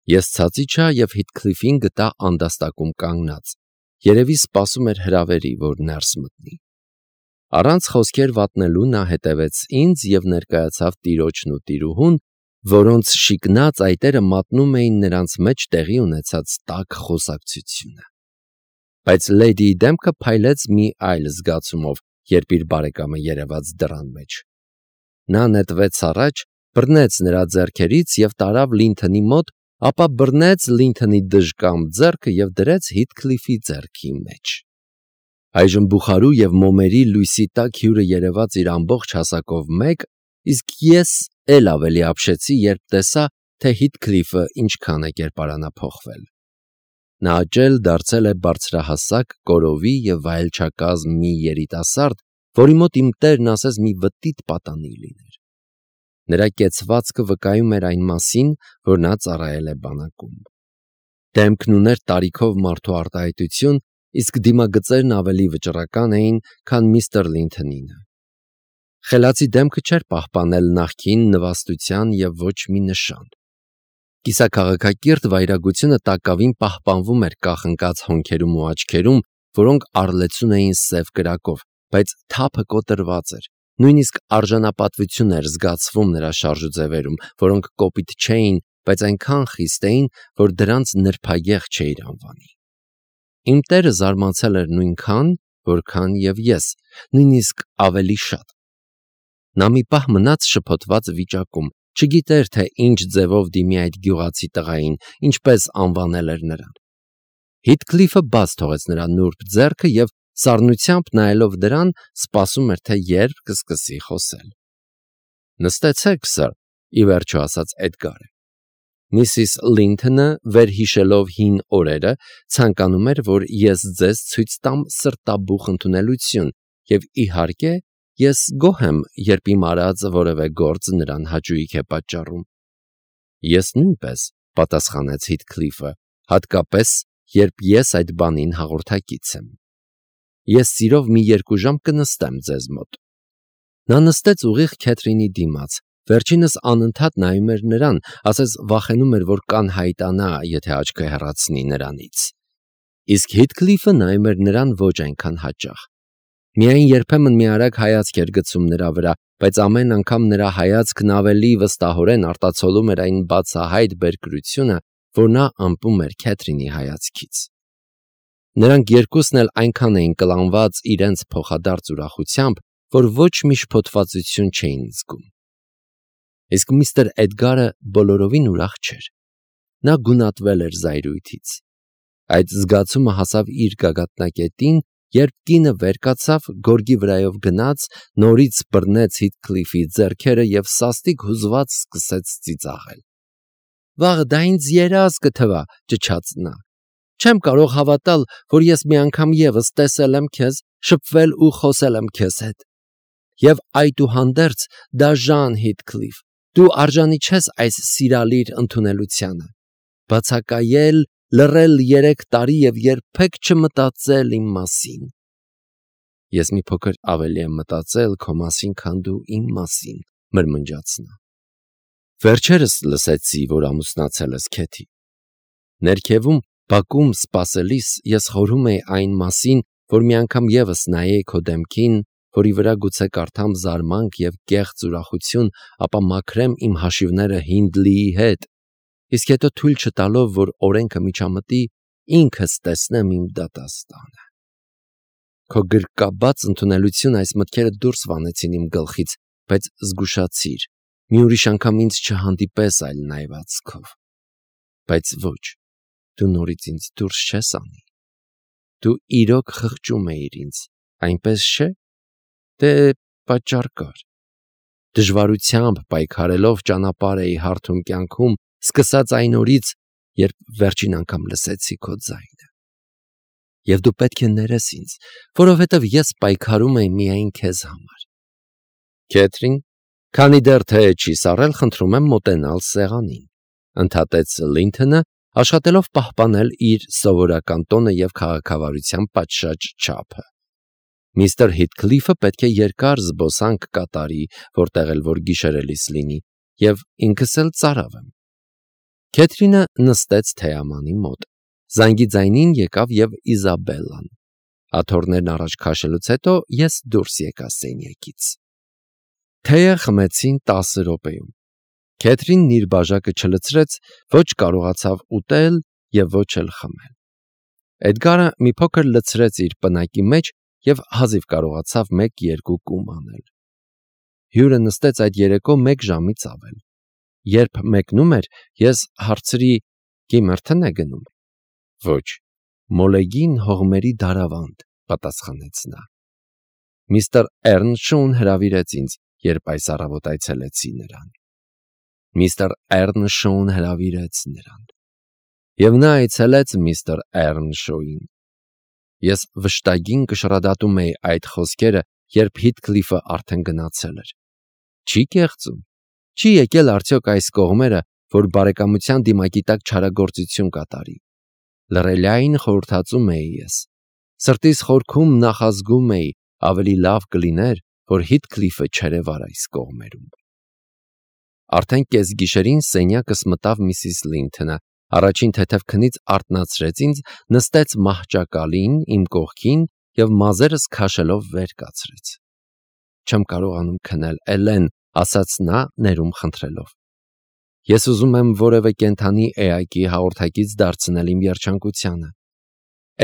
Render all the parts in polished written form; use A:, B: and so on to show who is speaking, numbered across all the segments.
A: Ես ցած իջա և Հիթքլիֆին գտա անդաստակում կանգնած, երևի սպասում էր հրավերի, որ ներս մտնի։ Առանց խոսքեր վատնելու նա հետևեց ինձ և ներկայացավ տիրոջն ու տիրուհուն, որոնց շիկնած այտերը մատնում էին նրանց մեջ տեղի ունեցած տաք խոսակցությունը։ Բայց լեդիի դեմքը փայլեց մի այլ զգացումով, երբ իր բարեկամը երևաց դռան մեջ։ Նա նետվեց առաջ, բռնեց նրա ձեռքերից և տարավ Լինթոնի մոտ, ապա բռնեց Լինթոնի դժկամ ձեռքը և դրեց Հիթքլիֆի ձեռքի մեջ։ Այժմ բուխարու և մոմերի լույսի տակ հյուրը երևաց իր ամբողջ հասակով մեկ, իսկ ես էլ ավելի ապշեցի, երբ տեսա, թե Հիթքլիֆը ինչքան է կերպարանափոխվել։ Նա աճել դարձել է բարձրահասակ, կորովի և վայելչակազմ մի երիտասարդ, որի մոտ իմ տերն ասես մի վտիտ պատանի լիներ։ Նրա կեցվածքը վկայում էր այն մասին, որ նա ծառայել է բանակում։ Դեմքն ուներ տարիքով մարդու արտահայտություն, իսկ դիմագծերն ավելի վճռական էին, քան միստր Լինթոնինը։ Խելացի դեմքը չէր պահպանել նախկին նվաստության և ոչ մի նշան։ Կիսաքաղաքակիրթ վայրագությունը տակավին պահպանվում էր կախնկած հոնքերում ու աչքերում, որոնք առլեցուն էին սև կրակով, բայց թափը կոտրված էր։ Նույնիսկ արժանապատվություն էր զգացվում նրա շարժուձևերում, որոնք կոպիտ չէին, բայց այնքան խիստ էին, որ դրանց նրբագեղ չէիր անվանի։ Իմ տերը զարմացել էր նույնքան, որքան և ես, նույնիսկ ավելի շատ։ Նա մի պահ մնաց շփոթված վիճակում, չգիտեր, թե ինչ ձևով դիմի այդ գյուղացի տղային, ինչպես անվանել էր նրան։ Հիթքլիֆը բաց թողեց նրա նուրբ ձեռքը և սառնությամբ նայելով դրան, սպասում էր, թե երբ կսկսի խոսել։ «Նստեցեք, սըր», ի վերջո ասաց Էդգարը։ Միսիս Լինթոնը, վերհիշելով հին օրերը, ցանկանում էր, որ ես ձեզ ցույց տամ սրտաբուխ ընդունելություն, և իհարկե, ես գոհ եմ, երբ իմ արած որևէ գործ նրան հաճույք է պատճառում։ Ես նույնպես, պատասխանեց Հիթքլիֆը, հատկապես, երբ ես այդ բանին հաղորդակից եմ։ Ես սիրով մի 2 ժամ կնստեմ ձեզ մոտ։ Նա նստեց ուղիղ Քեթրինի դիմաց, վերջինս անընդհատ նայում էր նրան, ասես վախենում էր, որ կանհայտանա, եթե աչքը հեռացնի նրանից։ Իսկ Հիթքլիֆը նայում էր նրան ոչ այնքան հաճախ։ Միայն երբեմն մի արագ հայացք էր գցում նրա վրա, բայց ամեն անգամ նրա հայացքն ավելի վստահորեն արտացոլում էր այն բացահայտ բերկրությունը, որ նա ըմպում էր Քեթրինի հայացքից։ Նրանք երկուսն էլ այնքան էին կլանված իրենց փոխադարձ ուրախությամբ, որ ոչ մի շփոթվածություն չէին զգում։ Իսկ միստր Էդգարը բոլորովին ուրախ չէր։ Նա գունատվել էր զայրույթից։ Այդ զգացումը հասավ իր գագաթնակետին, երբ կինը վեր կացավ, գորգի վրայով գնաց, նորից բռնեց Հիթքլիֆի ձեռքերը և սաստիկ հուզված սկսեց ծիծաղել։ «Վաղը դա ինձ երազ կթվա», ճչաց նա։ «Չեմ կարող հավատալ, որ ես մի անգամ ևս տեսել եմ քեզ, շփվել ու խոսել եմ քեզ հետ։ Եվ այդուհանդերձ, դաժան Հիթքլիֆ, դու արժանի չես այս սիրալիր ընդունելությանը։ Բացակայել, լռել 3 տարի և երբեք չմտածել իմ մասին»։ Ես մի փոքր ավելի եմ մտածել քո մասին, քան դու իմ մասին, մրմնջաց նա։ Վերջերս լսեցի, որ ամուսնացել ես, Քեթի։ Ներքևում, բակում սպասելիս ես խորհում էի այն մասին, որ մի անգամ ևս նայեի քո դեմքին, որի վրա գուցե կարդամ զարմանք և կեղծ ուրախություն, ապա մաքրեմ իմ հաշիվները Հինդլիի հետ, իսկ հետո թույլ չտալով, որ օրենքը միջամտի, ինքս տեսնեմ իմ դատաստանը։ Քո գրկաբաց ընդունելությունը այս մտքերը դուրս վանեցին իմ գլխից, բայց զգուշացիր, մի ուրիշ անգամ ինձ չհանդիպես այլ նայվածքով։ Բայց ոչ, դու նորից ինձ դուրս չես անի։ Դու իրոք խղճում էիր ինձ, այնպես չէ՞։ Դե պատճառ կար։ Դժվարությամբ պայքարելով ճանապարհ էի հարթում կյանքում, սկսած այն օրից, երբ վերջին անգամ լսեցի քո ձայնը։ Եվ դու պետք է ներես ինձ, որովհետև ես պայքարում էի միայն քեզ համար։ Քեթրին, քանի դեռ թե չի սառել, խնդրում եմ մոտենալ սեղանին, ընդհատեց Լինթոնը, աշխատելով պահպանել իր սովորական տոնը և քաղաքավարության պատշաճ չափը։ Միստր Հիթքլիֆը պետք է երկար զբոսանք կատարի, որտեղ էլ որ գիշերելիս լինի, և ինքս էլ ծարավ եմ։ Քեթրինը նստեց թեյամանի մոտ։ Զանգի ձայնին եկավ և Իզաբելլան։ Աթոռներն առաջ քաշելուց հետո ես դուրս եկա սենյակից։ Թեյը խմեցին 10 րոպեում։ Քեթրինն իր բաժակը չլցրեց, ոչ կարողացավ ուտել և ոչ էլ խմել։ Էդգարը մի փոքր լցրեց իր պնակի մեջ և հազիվ կարողացավ 1-2 կում անել։ Հյուրը նստեց այդ երեկո 1 ժամից ավել։ Երբ մեկնում էր, ես հարցրի. «Գիմերթն է գնում»։ «Ոչ, Մոլեգին հողմերի դարավանդ», պատասխանեց նա։ Միստր Էռնշոուն հրավիրեց ինձ, երբ այս առավոտ այցելեցի նրան։ Միստր Էռնշոուն հրավիրեց նրան։ Եվ նա այցելեց միստր Էռնշոուին։ Ես վշտագին կշռադատում էի այդ խոսքերը, երբ Հիթքլիֆը արդեն գնացել էր։ Չի կեղծում։ Չի եկել արդյոք այս կողմերը, որ բարեկամության դիմակի տակ չարագործություն կատարի։ Լռելիային խորհրդածում էի ես։ Սրտիս խորքում նախազգում էի, ավելի լավ կլիներ, որ Հիթքլիֆը չերևար այս կողմերում։ Արդեն կեսգիշերին սենյակս մտավ միսիս Լինթոնը, առաջին թեթև քնից արթնացրեց ինձ, նստեց մահճակալին իմ կողքին և մազերս քաշելով վեր կացրեց։ «Չեմ կարողանում քնել, Էլեն», ասաց նա ներում խնդրելով։ «Ես ուզում եմ որևէ կենդանի էակի հաղորդակից դարձնել իմ երջանկությանը։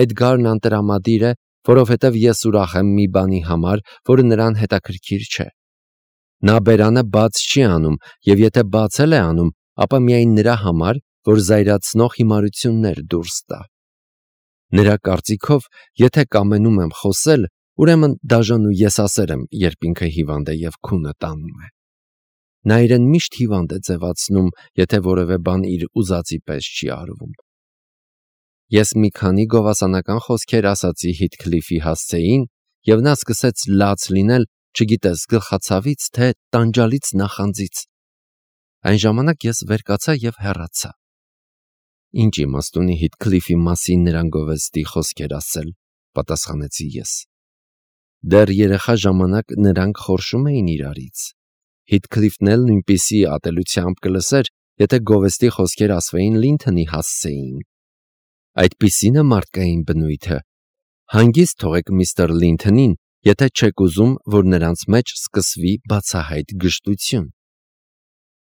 A: Էդգարն անտրամադիր է, որովհետև ես ուրախ եմ մի բանի համար, որը նրան հետաքրքիր չէ։ Նա բերանը բաց չի անում, և եթե բացել է անում, ապա միայն նրա համար, որ զայրացնող հիմարություններ դուրս տա։ Նրա կարծիքով, եթե կամենում եմ խոսել, ուրեմն դաժան ու եսասեր եմ, երբ ինքը հիվանդ է և քունը տանում է։ Նա իրեն միշտ հիվանդ է ձևացնում, եթե որևէ բան իր ուզածի պես չի արվում։ Ես մի քանի գովասանական խոսքեր ասացի Հիթքլիֆի հասցեին, և նա սկսեց լաց լինել, չգիտես գլխացավից, թե տանջալից նախանձից։ Այն ժամանակ ես վեր կացա և հեռացա։ Ինչ իմաստ ունի Հիթքլիֆի մասին նրան գովեստի խոսքեր ասել, պատասխանեցի ես։ Դեռ երեխա ժամանակ նրանք խորշում էին իրարից։ Հիթքլիֆն էլ նույնպիսի ատելությամբ կլսեր, եթե գովեստի խոսքեր ասվեին Լինթոնի հասցեին։ Այդպիսին է մարդկային բնույթը։ Հանգիստ թողեք միստր Լինթոնին, եթե չեք ուզում, որ նրանց մեջ սկսվի բացահայտ գժտություն։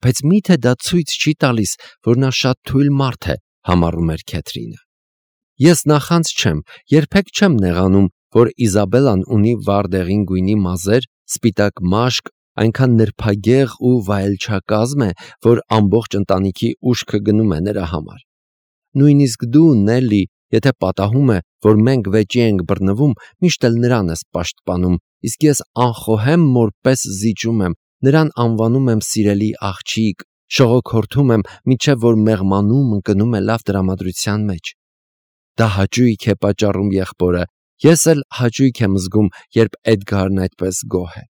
A: Բայց մի՞թե դա ցույց չի տալիս, որ նա շատ թույլ մարդ է, համառում էր Քեթրինը։ Ես նախանձ չեմ, երբեք չեմ նեղանում, որ Իզաբելլան ունի վառ-դեղին գույնի մազեր, սպիտակ մաշկ, այնքան նրբագեղ ու վայելչակազմ է, որ ամբողջ ընտանիքի ուշքը գնում է նրա համար։ Նույնիսկ դու, Նելլի, եթե պատահում է, որ մենք վեճի ենք բռնվում, միշտ էլ նրան ես պաշտպանում, իսկ ես անխոհեմ մոր պես զիջում եմ, նրան անվանում եմ սիրելի աղջիկ, շողոքորթում եմ, մինչև որ մեղմանում ընկնում է լավ տրամադրության մեջ։ Դա հաճույք է պատճառում եղբորը, ես էլ հաճույք եմ զգում, երբ Էդգարն այդպես գոհ է։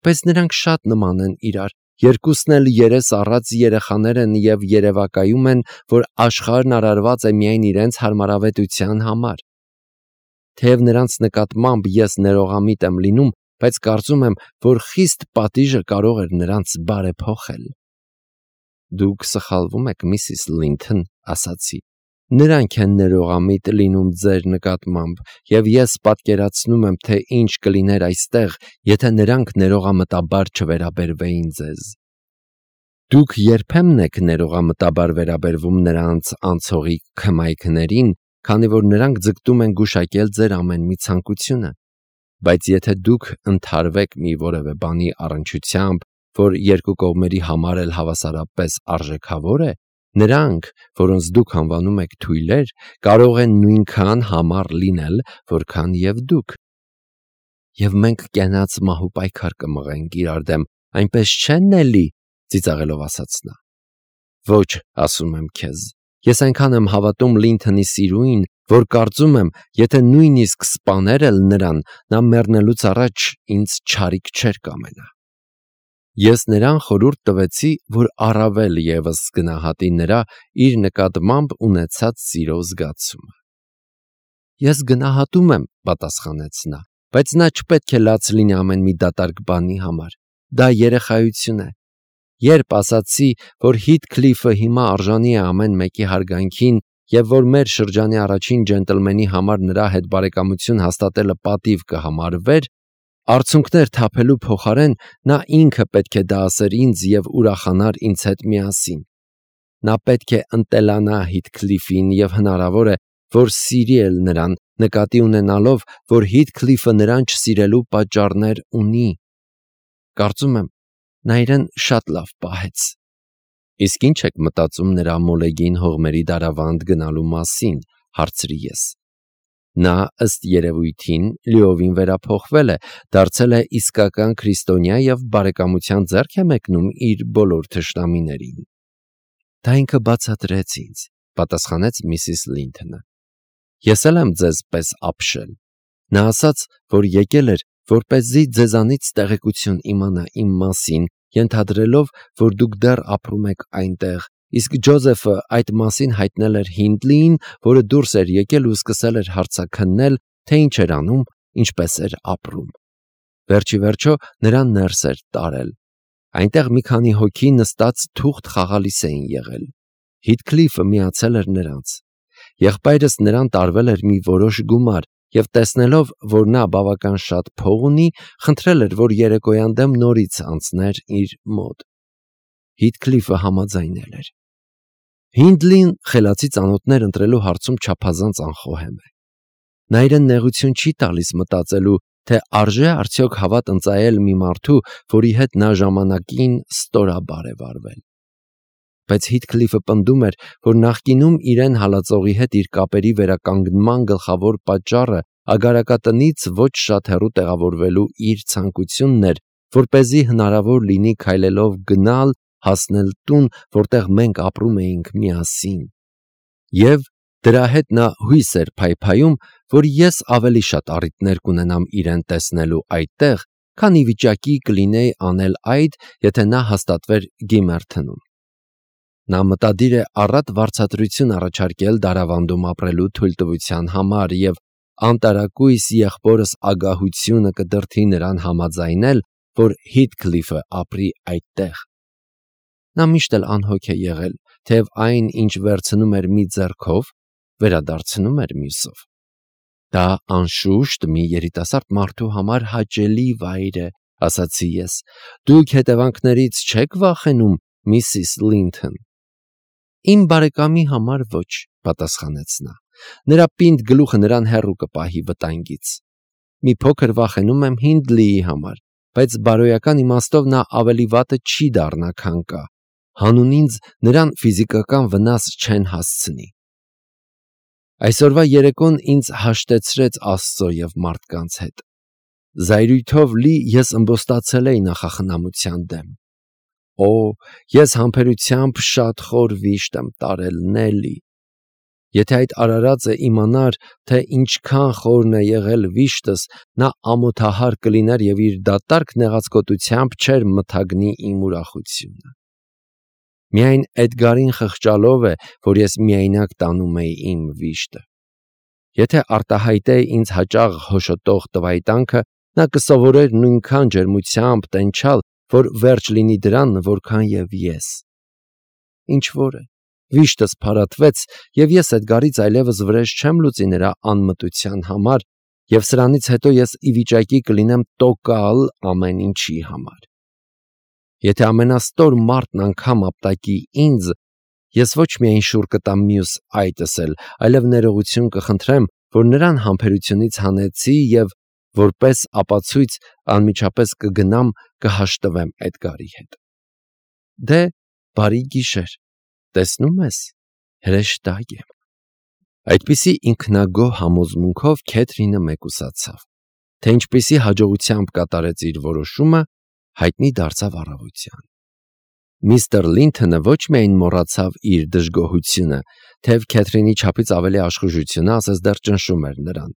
A: Բայց նրանք շատ նման են իրար, երկուսն էլ երես առած երեխաներ են և երևակայում են, որ աշխարհն արարված է միայն իրենց հարմարավետության համար։ Թեև նրանց նկատմամբ ես ներողամիտ եմ լինում, բայց կարծում եմ, որ խիստ պատիժը կարող էր նրանց բարեփոխել։ Դուք սխալվում եք, միսիս Լինթոն, ասացի։ Նրանք են ներողամիտ լինում ձեր նկատմամբ, և ես պատկերացնում եմ, թե ինչ կլիներ այստեղ, եթե նրանք ներողամտաբար չվերաբերվեին ձեզ։ Դուք երբեմն եք ներողամտաբար վերաբերվում նրանց անցողիկ քմայքներին, քանի որ նրանք ձգտում են գուշակել ձեր ամեն մի ցանկությունը։ Բայց եթե դուք ընդհարվեք մի որևէ բանի առնչությամբ, որ երկու կողմերի համար էլ հավասարապես արժեքավոր է, նրանք, որոնց դուք անվանում եք թույլեր, կարող են նույնքան համառ լինել, որքան և դուք։ Եվ մենք կենաց մահու պայքար կմղենք իրար դեմ, այնպես չէ՞, Նելլի, ծիծաղելով ասաց նա։ Ոչ, ասում եմ քեզ, ես այնքան եմ հավատում Լինթոնի սիրուին, որ կարծում եմ, եթե նույնիսկ սպաներ էլ նրան, նա մեռնելուց առաջ ինձ չարիք չէր կամենա։ Ես նրան խորհուրդ տվեցի, որ առավել ևս գնահատի նրա իր նկատմամբ ունեցած սիրո զգացումը։ Ես գնահատում եմ, պատասխանեց նա, բայց նա չպետք է լաց լինի ամեն մի դատարկ բանի համար։ Դա երեխայություն է։ Երբ ասացի, որ Հիթքլիֆը հիմա արժանի է ամեն մեկի հարգանքին և որ մեր շրջանի առաջին ջենտլմենի համար նրա հետ բարեկամություն հաստատելը պատիվ կհամարվեր, արցունքներ թափելու փոխարեն նա ինքը պետք է դա ասեր ինձ և ուրախանար ինձ հետ միասին։ Նա պետք է ընտելանա Հիթքլիֆին և հնարավոր է, որ սիրի էլ նրան, նկատի ունենալով, որ Հիթքլիֆը նրան չսիրելու պատճառներ ունի։ Կարծում եմ, նա իրեն շատ լավ պահեց։ Իսկ ինչ եք մտածում նրա մոլեգին հողմերի դարավանդ գնալու մասին, հարցրի ես։ Նա ըստ երևույթին լիովին վերափոխվել է, դարձել է իսկական քրիստոնյա և բարեկամության ձեռք է մեկնում իր բոլոր թշնամիներին։ Դա ինքը բացատրեց ինձ, պատասխանեց Միսիս Լինթոնը։ Ես էլ եմ ձեզ պես ապշել։ Նա ասաց, որ եկել էր, որպեսզի ձեզանից տեղեկություն իմանա իմ մասին, ենթադրելով, որ դուք դեռ ապրում եք այնտեղ, իսկ Ջոզեֆը այդ մասին հայտնել էր Հինդլիին, որը դուրս էր եկել ու սկսել էր հարցաքննել, թե ինչ էր անում, ինչպես էր ապրում։ Վերջիվերջո նրան ներս էր տարել։ Այնտեղ մի քանի հոգի նստած թուղթ խաղալիս էին եղել։ Հիթքլիֆը միացել էր նրանց։ Եղբայրս նրան տարվել էր մի որոշ գումար և տեսնելով, որ նա բավական շատ փող ունի, խնդրել էր, որ երեկոյան դեմ նորից անցներ իր մոտ։ Հիթքլիֆը համաձայնել էր։ Հինդլին խելացի ծանոթներ ընտրելու հարցում չափազանց անխոհեմ է։ Նա իրեն նեղություն չի տալիս մտածելու, թե արժե արդյոք հավատ ընծայել մի մարդու, որի հետ նա ժամանակին ստորաբար է վարվել։ Բայց Հիթքլիֆը պնդում էր, որ նախկինում իրեն հալածողի հետ իր կապերի վերականգնման գլխավոր պատճառը ագարակատնից ոչ շատ հեռու տեղավորվելու իր ցանկությունն էր, որպեսզի հնարավոր լինի քայլելով գնալ, հասնել տուն, որտեղ մենք ապրում էինք միասին։ Եվ դրա հետ նա հույս էր փայփայում, որ ես ավելի շատ առիթներ կունենամ իրեն տեսնելու այդտեղ, քան ի վիճակի կլինեի անել այդ, եթե նա հաստատվեր Գիմերթնում։ Նա մտադիր է առատ վարձատրություն առաջարկել դարավանդում ապրելու թույլտվության համար և անտարակույս եղբորս ագահությունը կդրդի նրան համաձայնել, որ Հիթքլիֆը ապրի այդտեղ։ Նա միշտ էլ անհոգ է եղել, թեև այն, ինչ վերցնում էր մի ձեռքով, վերադարձնում էր մյուսով։ Դա անշուշտ մի երիտասարդ մարդու համար հաճելի վայր է, ասացի ես։ Դուք հետևանքներից չեք վախենում, Միսիս Լինթոն։ Իմ բարեկամի համար ոչ, պատասխանեց նա։ Նրա պինդ գլուխը նրան հեռու կպահի վտանգից։ Մի փոքր վախենում եմ Հինդլիի համար, բայց բարոյական իմաստով նա ավելի վատը չի դառնա, քան կա։ Հանուն ինձ նրան ֆիզիկական վնաս չեն հասցնի։ Այսօրվա երեկոն ինձ հաշտեցրեց Աստծո և մարդկանց հետ։ Զայրույթով լի ես ըմբոստացել էի նախախնամության դեմ։ Օ, ես համբերությամբ շատ խոր վիշտ եմ տարել, Նելի։ Եթե այդ արարածը իմանար, թե ինչքան խորն է եղել վիշտս, նա ամոթահար կլիներ և իր դատարկ նեղացկոտությամբ չէր մթագնի իմ ուրախությունը։ Միայն Էդգարին խղճալով է, որ ես միայնակ տանում էի իմ վիշտը։ Եթե արտահայտեի ինձ հաճախ հոշոտող տվայտանքը, նա կսովորեր նույնքան ջերմությամբ տենչալ, որ վերջ լինի դրան, որքան և ես։ Ինչ որ է, վիշտս փարատվեց, և ես Էդգարից այլևս վրեժ չեմ լուծի նրա անմտության համար, և սրանից հետո ես ի վիճակի կլինեմ տոկալ ամեն ինչի համար։ Եթե ամենաստոր մարդն անգամ ապտակի ինձ, ես ոչ միայն շուռ կտամ մյուս այտս էլ, այլև ներողություն կխնդրեմ, որ նրան համբերությունից հանեցի և որպես ապացույց անմիջապես կգնամ կհաշտվեմ Էդգարի հետ։ Դե, բարի գիշեր, տեսնում ես, հրեշտակ եմ։ Այդպիսի ինքնագոհ համոզմունքով Քեթրինը մեկուսացավ, թե ինչպիսի հաջողությամբ կատարեց իր որոշումը, հայտնի դարձավ առավոտյան։ Միստր Լինթոնը ոչ միայն մոռացավ իր դժգոհությունը, թեև Քեթրինի չափից ավելի աշխուժությունը ասես դեռ ճնշում էր նրան,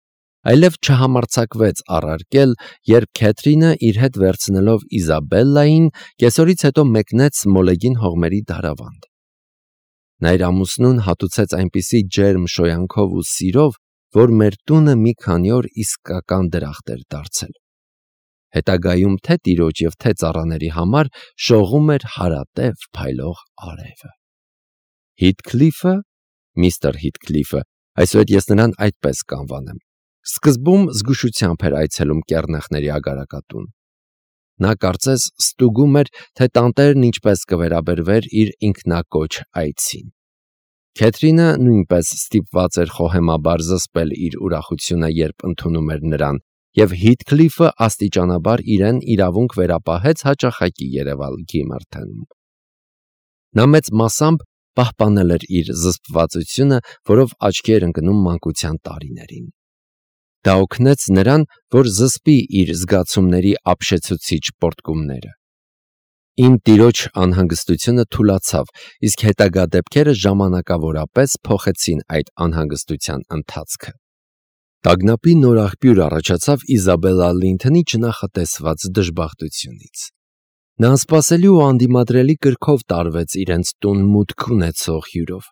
A: այլև չհամարձակվեց առարկել, երբ Քեթրինը իր հետ վերցնելով Իզաբելլային կեսօրից հետո մեկնեց մոլեգին հողմերի դարավանդ։ Նա իր ամուսնուն հատուցեց այնպիսի ջերմ շոյանքով ու սիրով, որ մեր տունը մի քանի օր իսկական դրախտ էր դարձել։ հետագայում թե տիրոջ և թե ծառաների համար շողում էր հարատև փայլող արևը։ Հիթքլիֆը, միստր Հիթքլիֆը, այսուհետ ես նրան այդպես կանվանեմ, սկզբում զգուշությամբ էր այցելում կեռնեխների ագարակատուն։ Նա կարծես ստուգում էր, թե տանտերն ինչպես կվերաբերվեր իր ինքնակոչ այցին։ Քեթրինը նույնպես ստիպված էր խոհեմաբար զսպել իր ուրախությունը, երբ ընդունում էր նրան, և Հիթքլիֆը աստիճանաբար իրեն իրավունք վերապահեց հաճախակի երևալ Գիմերթենում։ Նա մեծ մասամբ պահպանել էր իր զսպվածությունը, որով աչքի էր ընկնում մանկության տարիներին։ Դա օգնեց նրան, որ զսպի իր զգացումների ապշեցուցիչ պոռթկումները։ Իմ տիրոջ անհանգստությունը թուլացավ, իսկ հետագա դեպքերը ժամանակավորապես փոխեցին այդ անհանգստության ընթացքը։ Տագնապի նոր աղբյուր առաջացավ Իզաբելլա Լինթոնի չնախատեսված դժբախտությունից։ Նա անսպասելի ու անդիմադրելի կրքով տարվեց իրենց տուն մուտք ունեցող հյուրով։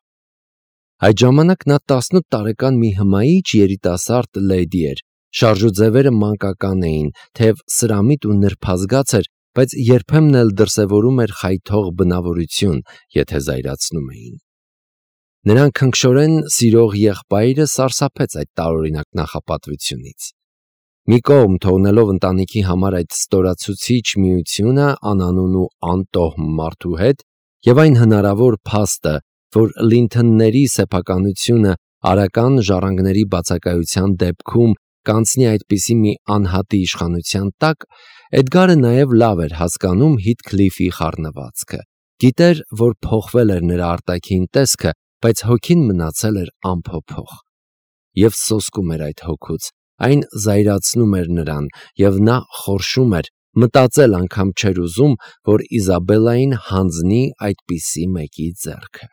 A: Այդ ժամանակ նա 18 տարեկան մի հմայիչ երիտասարդ լեդի էր, շարժուձևերը մանկական էին, թեև սրամիտ ու նրբազգաց էր, բայց երբեմն էլ դրսևորում էր խայթող բնավորություն, եթե զայրացնում էին։ Նրան քնքշորեն սիրող եղբայրը սարսափեց այդ տարօրինակ նախապատվությունից։ Մի կողմ թողնելով ընտանիքի համար այդ ստորացուցիչ միությունը անանուն ու անտոհմ մարդու հետ և այն հնարավոր փաստը, որ Լինթոնների սեփականությունը արական ժառանգների բացակայության դեպքում կանցնի այդպիսի մի անհատի իշխանության տակ, Էդգարը նաև լավ էր հասկանում Հիթքլիֆի խառնվածքը, գիտեր, որ փոխվել էր նրա արտաքին տեսքը, բայց հոգին մնացել էր անփոփոխ։ Եվ սոսկում էր այդ հոգուց, այն զայրացնում էր նրան, և նա խորշում էր, մտածել անգամ չէր ուզում, որ Իզաբելլային հանձնի այդպիսի մեկի ձեռքը։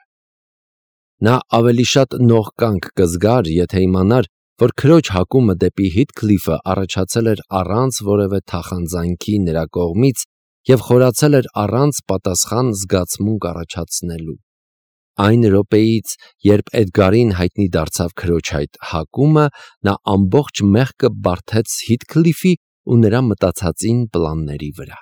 A: Նա ավելի շատ նողկանք կզգար, եթե իմանար, որ քրոջ հակումը դեպի Հիթքլիֆը առաջացել էր առանց որևէ թախանձանքի նրա կողմից և խորացել էր առանց պատասխան զգացմունք առաջացնելու։ Այն րոպեից, երբ Էդգարին հայտնի դարձավ քրոջ այդ հակումը, նա ամբողջ մեղքը բարդեց Հիթքլիֆի ու նրա մտածածին պլանների վրա։